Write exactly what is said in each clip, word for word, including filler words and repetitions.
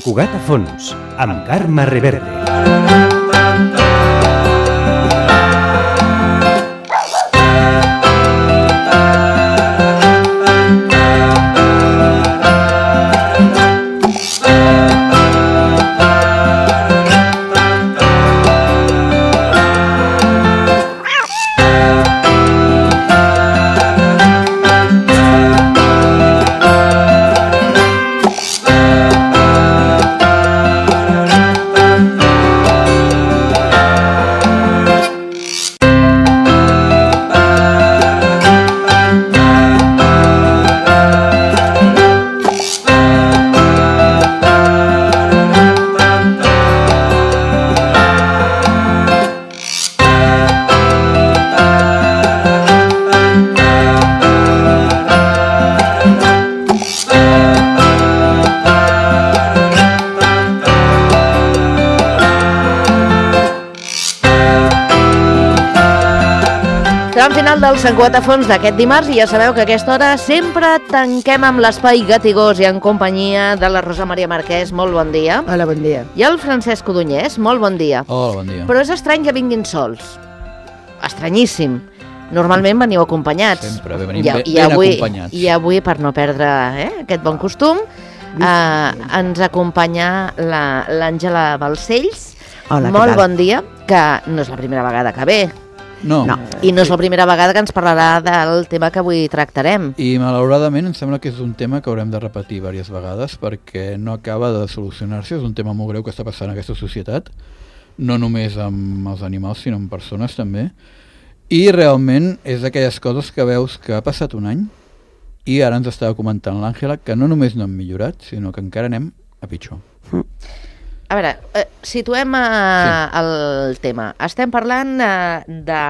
Cugat a fons, amb Carme Reverte. Del Sant Cugat a fons d'aquest dimarts i ja sabeu que a aquesta hora sempre tanquem amb l'espai Gatigós i en companyia de la Rosa Maria Marquès. Molt bon dia. Hola, bon dia. I el Francesc Codonyès. Molt bon dia. Hola, bon dia. Però és estrany que vinguin sols. Estranyíssim. Normalment veniu acompanyats. Sempre, bé, venim I, ben, i ben avui, acompanyats. I avui, per no perdre eh, aquest bon costum, eh, ens acompanya l'Àngela Balcells. Hola, molt bon dia, que no és la primera vegada que ve. No. no. I no és la primera vegada que ens parlarà del tema que avui tractarem. I malauradament em sembla que és un tema que haurem de repetir diverses vegades perquè no acaba de solucionar-se. És un tema molt greu que està passant en aquesta societat, no només amb els animals sinó amb persones també. I realment és d'aquelles coses que veus que ha passat un any i ara ens estava comentant l'Àngela que no només no hem millorat, sinó que encara anem a pitjor. Mm. A veure, eh, situem eh, sí. el tema. Estem parlant eh, de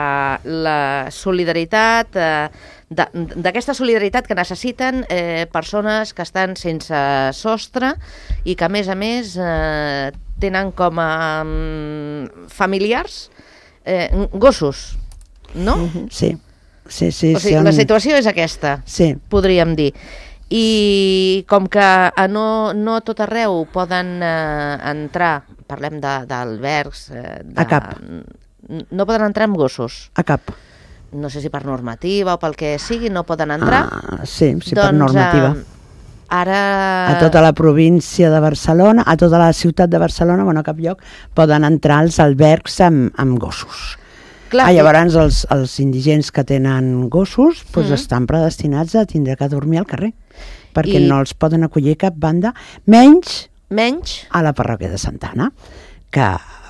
la solidaritat, eh, d'aquesta solidaritat que necessiten eh, persones que estan sense sostre i que, a més a més, eh, tenen com a um, familiars eh, gossos, no? Mm-hmm. Sí, sí, sí. O sigui, sí, la situació és aquesta, sí. Podríem dir. I com que a no, no tot arreu poden eh, entrar, parlem d'albergs... Eh, a cap. No poden entrar amb gossos. A cap. No sé si per normativa o pel que sigui, no poden entrar. Ah, sí, sí, doncs, per normativa. Eh, ara... A tota la província de Barcelona, a tota la ciutat de Barcelona, bueno, a cap lloc, poden entrar als albergs amb, amb gossos. Clar, ah, llavors els, els indigents que tenen gossos doncs mm. estan predestinats a tindre que dormir al carrer, perquè I... no els poden acollir cap banda, menys, menys a la parròquia de Santa Anna, que,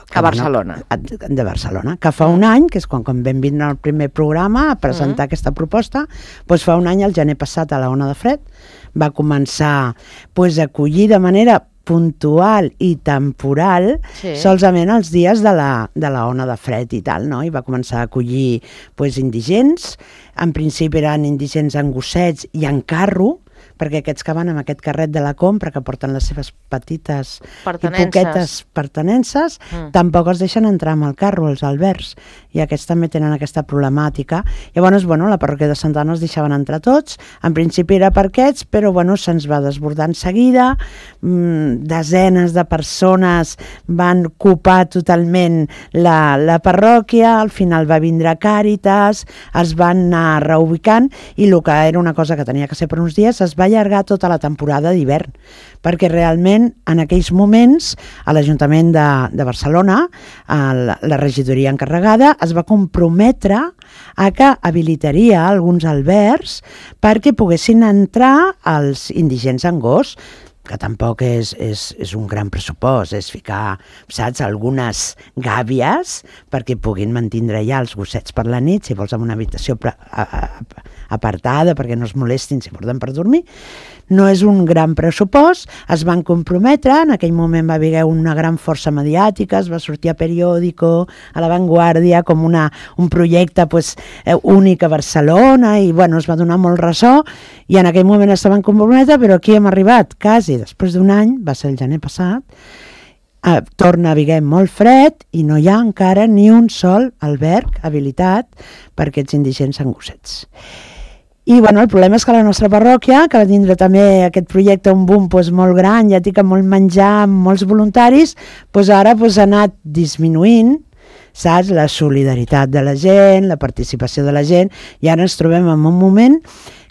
que a Barcelona. Bueno, de Barcelona, que fa un any, que és quan, quan vam vindre al primer programa a presentar mm. aquesta proposta, doncs fa un any, el gener passat, a la Ona de Fred, va començar doncs, a acollir de manera puntual i temporal, sí. solament els dies de la, de la ona de fred i tal, no? I va començar a acollir pues, indigents, en principi eren indigents en gossets i en carro, perquè aquests que van amb aquest carret de la compra, que porten les seves petites i poquetes pertenences, mm. tampoc els deixen entrar amb el carro, els albergs, i aquests també tenen aquesta problemàtica. Llavors, bueno, la parròquia de Santa Anna els deixaven entrar tots, en principi era per aquests, però bueno, se'ns va desbordar en seguida, mm, desenes de persones van ocupar totalment la, la parròquia, al final va vindre Càritas, es van anar reubicant, i el que era una cosa que tenia que ser per uns dies, es va allargar tota la temporada d'hivern, perquè realment en aquells moments a l'Ajuntament de, de Barcelona, a la, la regidoria encarregada, es va comprometre a que habilitaria alguns albergs perquè poguessin entrar els indigents en gos, que tampoc és, és, és un gran pressupost, és ficar, saps, algunes gàbies perquè puguin mantindre ja els gossets per la nit, si vols, en una habitació pre, a, a, apartada perquè no es molestin si porten per dormir. No és un gran pressupost, es van comprometre, en aquell moment va haver una gran força mediàtica, es va sortir a Periódico, a La Vanguardia, com una, un projecte pues, eh, únic a Barcelona, i bueno, es va donar molt ressò, i en aquell moment es van comprometre, però aquí hem arribat, quasi després d'un any, va ser el gener passat, eh, torna a haver molt fred, i no hi ha encara ni un sol alberg habilitat per aquests indigents en gossets. I bueno, el problema és que la nostra parròquia, que va tindre també aquest projecte un boom pues, molt gran, ja dic, amb molt menjar, amb molts voluntaris, pues, ara pues, ha anat disminuint, saps? La solidaritat de la gent, la participació de la gent, i ara ens trobem en un moment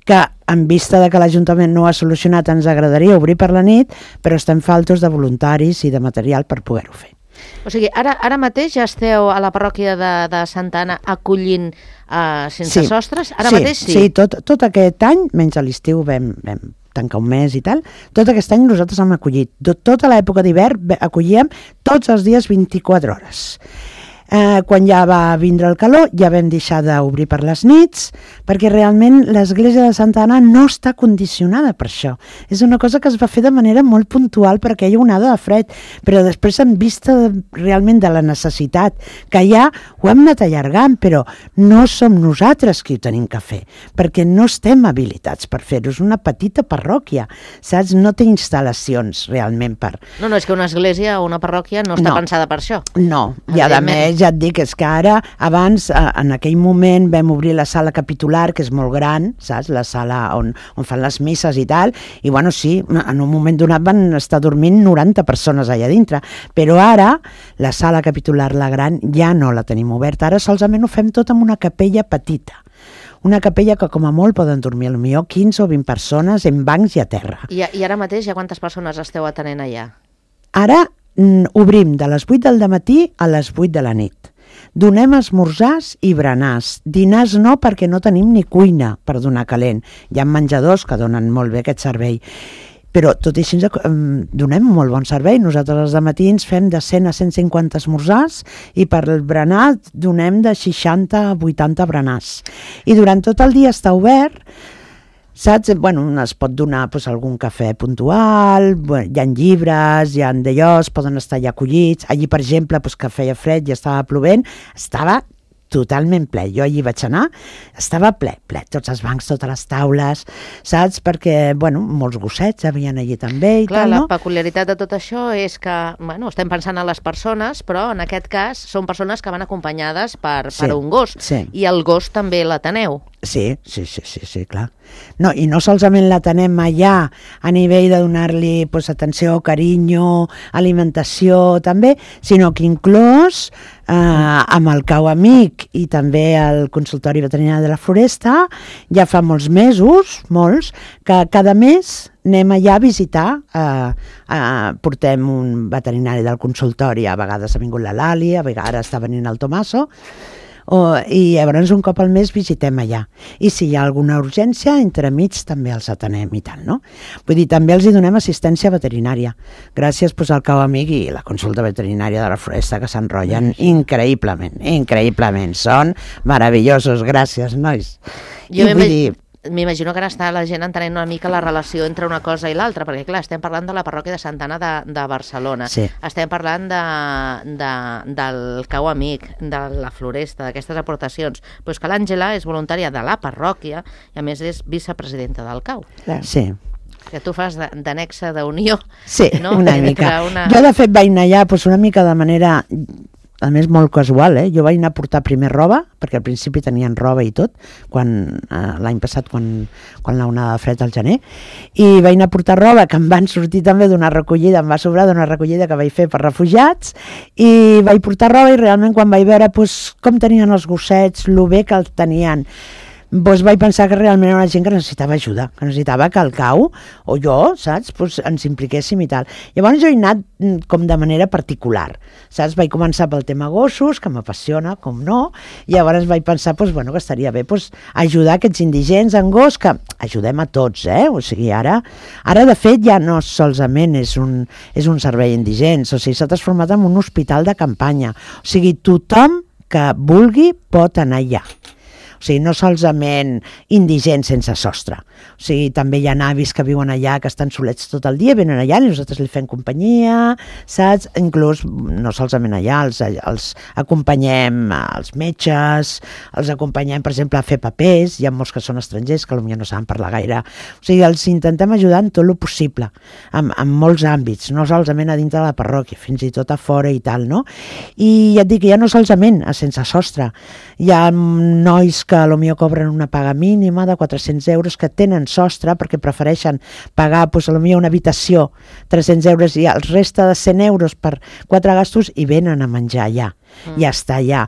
que, en vista de que l'Ajuntament no ho ha solucionat, ens agradaria obrir per la nit, però estem faltos de voluntaris i de material per poder-ho fer. O sigui, ara, ara mateix ja esteu a la parròquia de, de Santa Anna acollint uh, sense sí. sostres? Ara sí, mateix sí? Sí, tot, tot aquest any, menys a l'estiu vam, vam tancar un mes i tal, tot aquest any nosaltres hem acollit. Tota l'època d'hivern acollíem tots els dies vint-i-quatre hores. Eh, quan ja va vindre el calor ja vam deixar d'obrir per les nits perquè realment l'església de Santa Anna no està condicionada per això. És una cosa que es va fer de manera molt puntual perquè hi ha una onada de fred, però després en vista de, realment de la necessitat que hi ha, ho hem anat allargant, però no som nosaltres qui ho tenim que fer, perquè no estem habilitats per fer-ho. És una petita parròquia, saps? No té instal·lacions realment per... No, no, és que una església o una parròquia no està no. pensada per això. No, i a més ja et dic, és que ara, abans, en aquell moment vam obrir la sala capitular, que és molt gran, saps? La sala on, on fan les misses i tal, i bueno, sí, en un moment donat van estar dormint noranta persones allà dintre, però ara la sala capitular, la gran, ja no la tenim oberta, ara solament ho fem tot amb una capella petita. Una capella que com a molt poden dormir potser quinze o vint persones en bancs i a terra. I, i ara mateix ja quantes persones esteu atenent allà? Ara obrim de les vuit del matí a les vuit de la nit. Donem esmorzars i berenars. Dinars no, perquè no tenim ni cuina per donar calent. Hi ha menjadors que donen molt bé aquest servei. Però tot i així donem molt bon servei. Nosaltres els dematins fem de cent a cent cinquanta esmorzars i per el berenar donem de seixanta a vuitanta berenars. I durant tot el dia està obert. Saps? Bueno, es pot donar pues, algun cafè puntual, bueno, hi ha llibres, hi ha d'allò, poden estar allà acollits. Allí, per exemple, pues, que feia fred i estava plovent, estava totalment ple. Jo allí vaig anar, estava ple, ple, tots els bancs, totes les taules, saps? Perquè, bueno, molts gossets havien allí també i Clar, tal, no? la peculiaritat de tot això és que, bueno, estem pensant en les persones, però en aquest cas són persones que van acompanyades per, Sí, per un gos, sí. i el gos també l'ateneu. Sí, sí, sí, sí, sí, clar. No, i no solament la tenem allà a nivell de donar-li pues, atenció, carinyo, alimentació també, sinó que inclús eh, amb el cau amic i també el consultori veterinari de la Floresta ja fa molts mesos, molts, que cada mes anem allà a visitar, eh, eh, portem un veterinari del consultori, a vegades ha vingut la Lali, a vegades està venint el Tomaso, O, i llavors un cop al mes visitem allà, i si hi ha alguna urgència entremig també els atenem i tal, no? Vull dir, també els hi donem assistència veterinària gràcies pues, al cau amic i la consulta veterinària de la Floresta, que s'enrotllen increïblement, increïblement, són meravellosos, gràcies nois. Jo I vull dir, m'imagino que ara està la gent entenent una mica la relació entre una cosa i l'altra, perquè clar, estem parlant de la parròquia de Santa Anna de, de Barcelona, Sí. estem parlant de, de, del cau amic, de la Floresta, d'aquestes aportacions, però és que l'Àngela és voluntària de la parròquia i a més és vicepresidenta del cau. sí, Que tu fas d'annexa d'unió. sí, no? una Entre mica. una- Jo de fet vaig anar allà pues, una mica de manera, a més molt casual, eh? Jo vaig anar a portar primer roba, perquè al principi tenien roba i tot, quan eh, l'any passat, quan, quan la onada de fred al gener, i vaig anar a portar roba, que em van sortir també d'una recollida, em va sobrar d'una recollida que vaig fer per refugiats, i vaig portar roba i realment quan vaig veure pues, com tenien els gossets, lo bé que el tenien, doncs vaig pensar que realment era una gent que necessitava ajuda, que necessitava que el cau, o jo, saps, doncs ens impliquéssim i tal. Llavors jo he anat com de manera particular, saps? Vaig començar pel tema gossos, que m'apassiona, com no, i llavors vaig pensar doncs, bueno, que estaria bé doncs, ajudar aquests indigents en gos, que ajudem a tots, eh? O sigui, ara, ara de fet ja no solament és un, és un servei indigents, o sigui, s'ha transformat en un hospital de campanya, o sigui, tothom que vulgui pot anar allà. O sigui, no solament indigents sense sostre. O sigui, també hi ha avis que viuen allà, que estan solets tot el dia, venen allà i nosaltres li fem companyia, saps? Inclús, no solament allà, els, els acompanyem als metges, els acompanyem, per exemple, a fer papers, hi ha molts que són estrangers que potser no saben parlar gaire. O sigui, els intentem ajudar en tot el possible, en, en molts àmbits, no solament a dintre de la parròquia, fins i tot a fora i tal, no? I ja et dic que ja no solament a sense sostre, hi ha nois que que potser cobren una paga mínima de quatre-cents euros, que tenen sostre perquè prefereixen pagar doncs, potser una habitació tres-cents euros i el reste de cent euros per quatre gastos i venen a menjar allà, mm. ja està allà.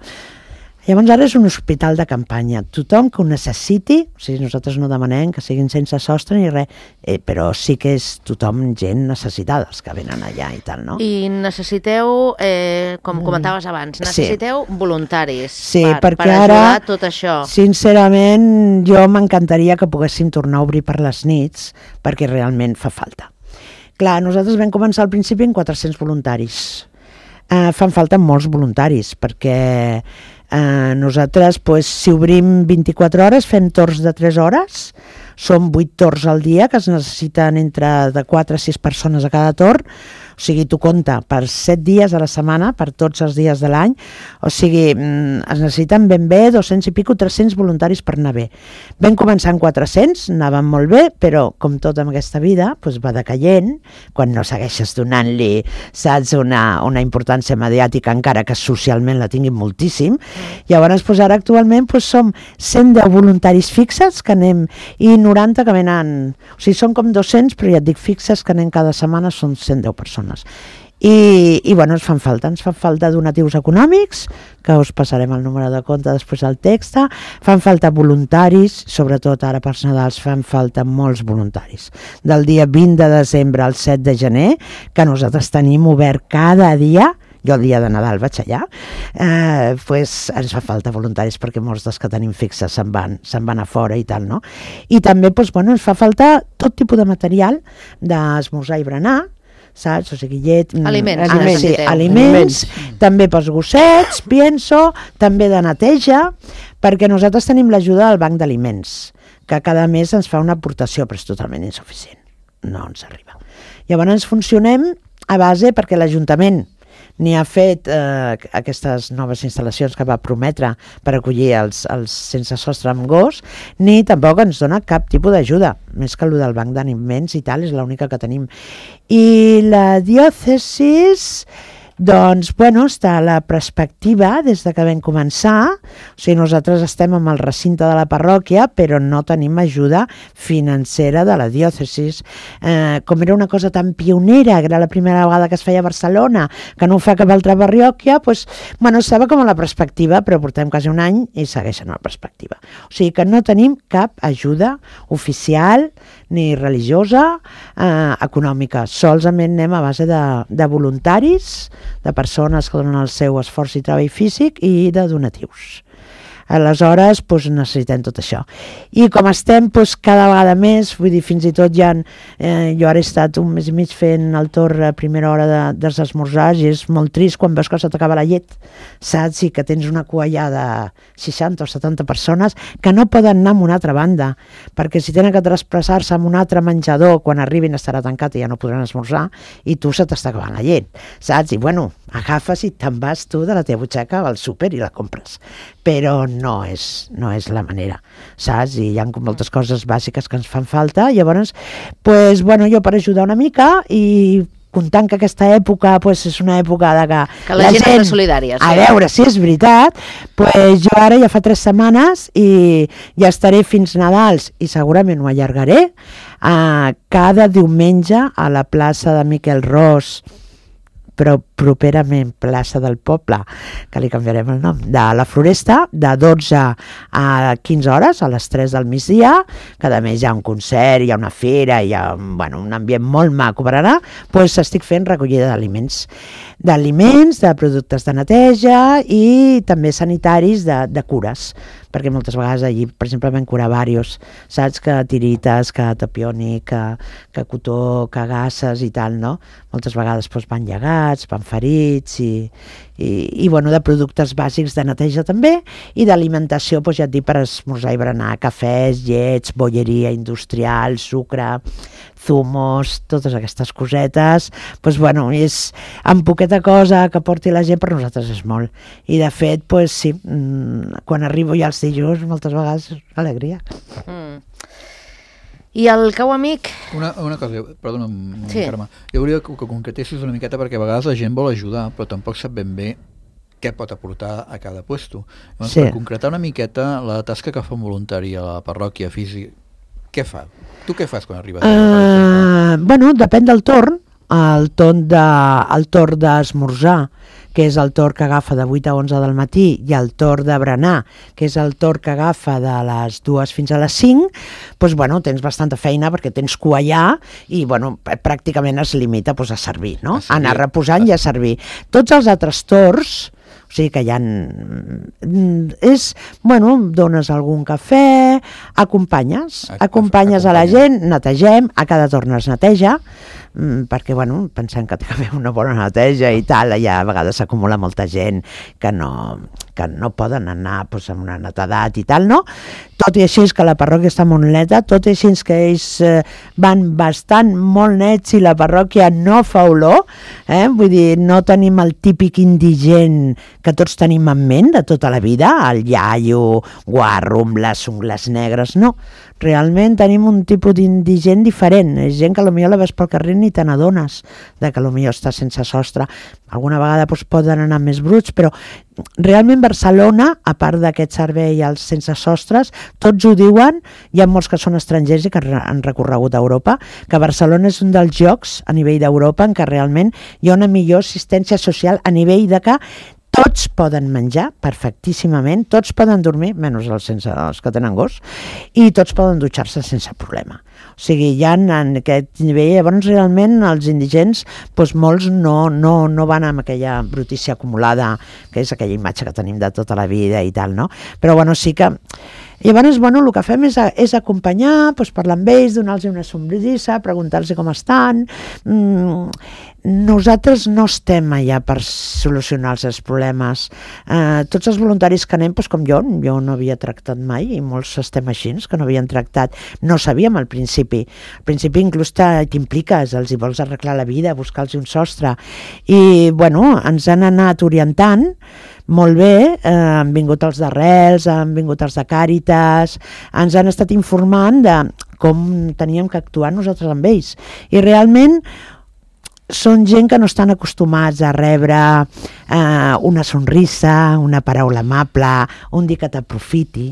Llavors ara és un hospital de campanya. Tothom que ho necessiti, o sigui, nosaltres no demanem que siguin sense sostre ni res, eh, però sí que és tothom gent necessitada, els que venen allà i tal, no? I necessiteu, eh, com comentaves abans, necessiteu sí. voluntaris sí, per, perquè per ajudar ara, tot això. Sincerament, jo m'encantaria que poguéssim tornar a obrir per les nits, perquè realment fa falta. Clar, nosaltres vam començar al principi amb quatre-cents voluntaris. Eh, fan falta molts voluntaris, perquè eh, nosaltres, pues, si obrim vint-i-quatre hores, fem torns de tres hores, són vuit torns al dia, que es necessiten entre de quatre a sis persones a cada torn, o sigui, tu compta per set dies a la setmana, per tots els dies de l'any, o sigui, es necessiten ben bé dos-cents i pico, tres-cents voluntaris per anar bé. Vam començar amb quatre-cents, anaven molt bé, però com tot en aquesta vida, doncs va decaient, quan no segueixes donant-li, saps, una, una importància mediàtica, encara que socialment la tinguin moltíssim. Llavors, doncs ara actualment doncs, som cent deu voluntaris fixes que anem, i noranta que venen, o sigui, són com dos-cents, però ja et dic fixes que anem cada setmana, són cent deu persones. I, i bueno, ens fan falta, ens fan falta donatius econòmics, que us passarem el número de compte després del text, fan falta voluntaris, sobretot ara pels Nadals fan falta molts voluntaris. Del dia vint de desembre al set de gener, que nosaltres tenim obert cada dia, jo el dia de Nadal vaig allà, eh, pues ens fa falta voluntaris perquè molts dels que tenim fixes se'n van, se'n van a fora i tal, no? I també pues, bueno, ens fa falta tot tipus de material d'esmorzar i berenar, saps? O sigui, llet... Aliments. Ah, sí, aliments, aliments, també pels gossets, pienso, també de neteja, perquè nosaltres tenim l'ajuda del banc d'aliments, que cada mes ens fa una aportació, però és totalment insuficient, no ens arriba. Llavors funcionem a base perquè l'Ajuntament ni ha fet eh, aquestes noves instal·lacions que va prometre per acollir els, els sense sostre amb gos, ni tampoc ens dona cap tipus d'ajuda, més que el del banc d'aliments i tal, és l'única que tenim. I la diòcesis, doncs, bueno, està a la perspectiva des de que vam començar, o sigui, nosaltres estem amb el recinte de la parròquia, però no tenim ajuda financera de la diòcesis. Eh, com era una cosa tan pionera, que era la primera vegada que es feia a Barcelona, que no ho fa cap altra parròquia, doncs, bueno, estava com a la perspectiva, però portem quasi un any i segueixen a la perspectiva. O sigui que no tenim cap ajuda oficial ni religiosa, eh, econòmica. Solament anem a base de, de voluntaris, de persones que donen el seu esforç i treball físic i de donatius. Aleshores, doncs, necessitem tot això. I com estem doncs, cada vegada més, vull dir, fins i tot ja, eh, jo ara he estat un mes i mig fent el torn a primera hora de, dels esmorzars i és molt trist quan veus que se t'acaba la llet, saps? I que tens una cua ja de seixanta o setanta persones que no poden anar a una altra banda, perquè si tenen que trasplaçar-se a un altre menjador, quan arribin estarà tancat i ja no podran esmorzar, i tu se t'està acabant la llet, saps? I bueno, agafes i te'n vas tu de la teva butxaca al súper i la compres. Però no és, no és la manera, saps? I hi ha moltes coses bàsiques que ens fan falta. Llavors, pues, bueno, jo per ajudar una mica i comptant que aquesta època pues, és una època de que, que la, la gent, gent és solidària. Sí. A veure si és veritat, pues, jo ara ja fa tres setmanes i ja estaré fins Nadals i segurament ho allargaré uh, cada diumenge a la plaça de Miquel Ros, però properament plaça del Poble, que li canviarem el nom, de la Floresta, de dotze a quinze hores, a les tres del migdia, cada mes hi ha un concert, hi ha una fera, hi ha bueno, un ambient molt maco per anar, doncs estic fent recollida d'aliments, d'aliments, de productes de neteja i també sanitaris de, de cures, perquè moltes vegades allí, per exemple, vam curar vàrios, saps, que tirites, que tapioni, que, que cotó, que gasses i tal, no? Moltes vegades doncs, van llegats, van ferits i, i, i bueno, de productes bàsics de neteja també i d'alimentació, doncs, ja et dic, per esmorzar i berenar, cafès, llets, bolleria industrial, sucre, zumos, totes aquestes cosetes, doncs, bueno, és amb poqueta cosa que porti la gent per nosaltres és molt. I de fet, doncs, sí, quan arribo ja els dilluns, moltes vegades és alegria. Mm. I el cau amic? Una, una cosa, perdona, sí. Carme. Jo volia que, que concretessis una miqueta perquè a vegades la gent vol ajudar, però tampoc sap ben bé què pot aportar a cada puesto. Llavors, Sí. per concretar una miqueta la tasca que fa un voluntari a la parròquia física, què fa? Tu què fas quan arribes? Uh, bueno, depèn del torn. El torn de, el torn d'esmorzar, que és el torn que agafa de vuit a onze del matí, i el torn de berenar, que és el torn que agafa de les dues fins a les cinc, doncs, bueno, tens bastanta feina perquè tens cua allà i bueno, pràcticament es limita doncs, a servir, no? A servir. Anar reposant i a servir. Tots els altres torns, o sigui que hi ha... És, bueno, dones algun cafè, acompanyes, acompanyes a la gent, netegem, a cada torn es neteja, perquè, bueno, pensem que té que fer una bona neteja i tal, allà a vegades s'acumula molta gent que no, que no poden anar doncs, amb una netedat i tal, no? Tot i així és que la parròquia està molt neta, tot i així és que ells eh, van bastant molt nets i la parròquia no fa olor, eh? Vull dir, no tenim el típic indigent que tots tenim en ment de tota la vida, el iaio, guarro, amb les ungles negres, no. Realment tenim un tipus d'indigent diferent, és gent que potser la veus pel carrer ni te n'adones de que potser està sense sostre. Alguna vegada doncs, poden anar més bruts, però realment Barcelona, a part d'aquest servei als sense sostres, tots ho diuen, hi ha molts que són estrangers i que han recorregut a Europa, que Barcelona és un dels llocs a nivell d'Europa en què realment hi ha una millor assistència social a nivell de que tots poden menjar perfectíssimament, tots poden dormir, menys els, sense, els que tenen gos, i tots poden dutxar-se sense problema. O sigui, hi ha en aquest nivell, llavors realment els indigents, doncs molts no, no, no van amb aquella brutícia acumulada, que és aquella imatge que tenim de tota la vida i tal, no? Però bueno, sí que... Llavors, bueno, el que fem és, és acompanyar, doncs, parlar amb ells, donar-los una somrisa, preguntar-los com estan. Mm, nosaltres no estem allà per solucionar els seus problemes. Eh, tots els voluntaris que anem, doncs, com jo, jo no havia tractat mai, i molts estem així, que no havien tractat. No sabíem al principi. Al principi inclús t'impliques, els hi vols arreglar la vida, buscar-los un sostre. I, bueno, ens han anat orientant molt bé, eh, han vingut els d'Arrels, han vingut els de Càritas, ens han estat informant de com teníem que actuar nosaltres amb ells. I realment són gent que no estan acostumats a rebre eh, una sonrisa, una paraula amable, un dir que t'aprofiti,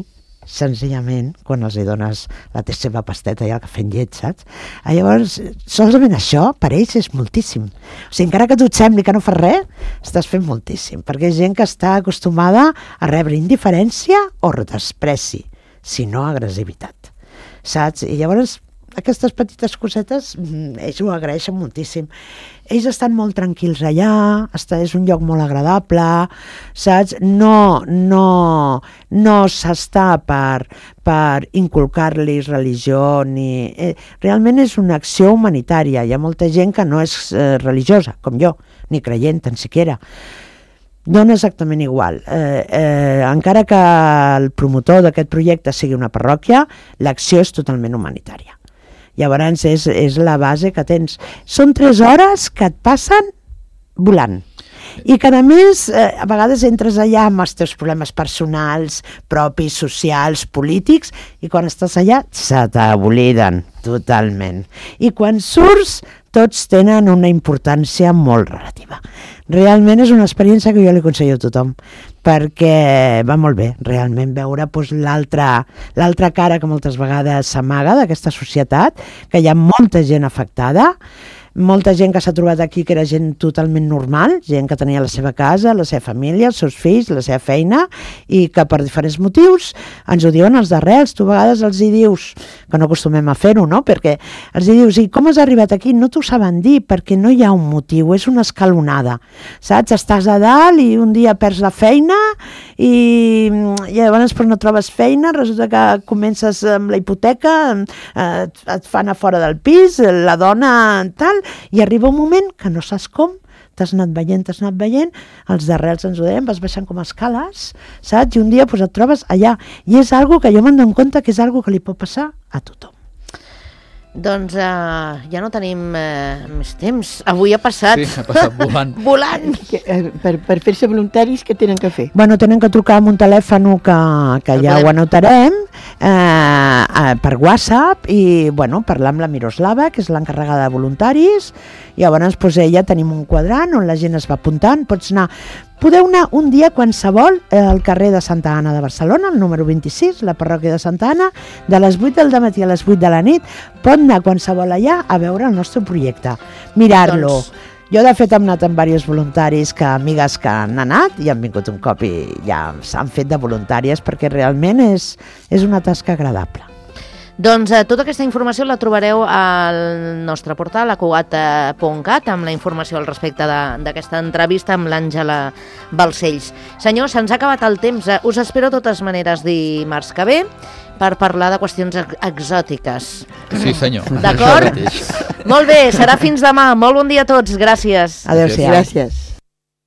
senzillament, quan els hi dones la seva pasteta i el cafè amb llet, saps? Llavors, solament això, per ells, és moltíssim. O sigui, encara que tu et sembli que no fas res, estàs fent moltíssim, perquè és gent que està acostumada a rebre indiferència o despreci, si no agressivitat, saps? I llavors, aquestes petites cosetes, ells ho agraeixen moltíssim. Ells estan molt tranquils allà, està, és un lloc molt agradable, saps? No, no, no s'està per, per inculcar-los religió, ni... Eh, realment és una acció humanitària. Hi ha molta gent que no és eh, religiosa, com jo, ni creient, tan siquiera. Dona exactament igual. Eh, eh, encara que el promotor d'aquest projecte sigui una parròquia, l'acció és totalment humanitària. Llavors és, és la base que tens. Són tres hores que et passen volant. I que a més, eh, a vegades entres allà amb els teus problemes personals, propis, socials, polítics, i quan estàs allà se t'obliden totalment. I quan surts, tots tenen una importància molt relativa. Realment és una experiència que jo li aconsello a tothom, perquè va molt bé, realment, veure doncs, l'altra l'altra cara que moltes vegades s'amaga d'aquesta societat, que hi ha molta gent afectada, molta gent que s'ha trobat aquí que era gent totalment normal, gent que tenia la seva casa, la seva família, els seus fills, la seva feina, i que per diferents motius ens ho diuen els d'Arrels. Tu a vegades els hi dius, que no acostumem a fer-ho, no? Perquè els hi dius, i com has arribat aquí? No t'ho saben dir, perquè no hi ha un motiu, és una escalonada, saps? Estàs a dalt i un dia perds la feina i, i llavors però no trobes feina, resulta que comences amb la hipoteca, eh, et fan a fora del pis, la dona tal, i arriba un moment que no saps com, t'has anat veient, t'has anat veient, els d'Arrels ens ho deien, vas baixant com a escales, saps? I un dia pues, et trobes allà. I és algo que jo me'n dono compte que és algo que li pot passar a tothom. Doncs uh, ja no tenim uh, més temps. Avui ha passat... Sí, ha passat volant. volant. Que, eh, per per fer-se voluntaris, què tenen que fer? Bueno, tenen que trucar amb un telèfon que, que ja ho anotarem, eh, eh, per WhatsApp, i bueno, parlar amb la Miroslava, que és l'encarregada de voluntaris, i llavors pues, ella tenim un quadrant on la gent es va apuntant, pots anar podeu anar un dia qualsevol al carrer de Santa Anna de Barcelona, el número vint-i-sis, la parròquia de Santa Anna, de les vuit del dematí a les vuit de la nit, pot anar qualsevol allà a veure el nostre projecte, mirar-lo. Doncs... Jo, de fet, hem anat amb diversos voluntaris, que amigues que han anat i han vingut un cop i ja s'han fet de voluntàries, perquè realment és, és una tasca agradable. Doncs eh, tota aquesta informació la trobareu al nostre portal, a cugat punt cat, amb la informació al respecte d'aquesta entrevista amb l'Àngela Balcells. Senyor, se'ns ha acabat el temps. Us espero de totes maneres dimarts que ve per parlar de qüestions ex exòtiques. Sí, senyor. D'acord? Molt bé, serà fins demà. Molt bon dia a tots. Gràcies. Adéu-siau. Gràcies.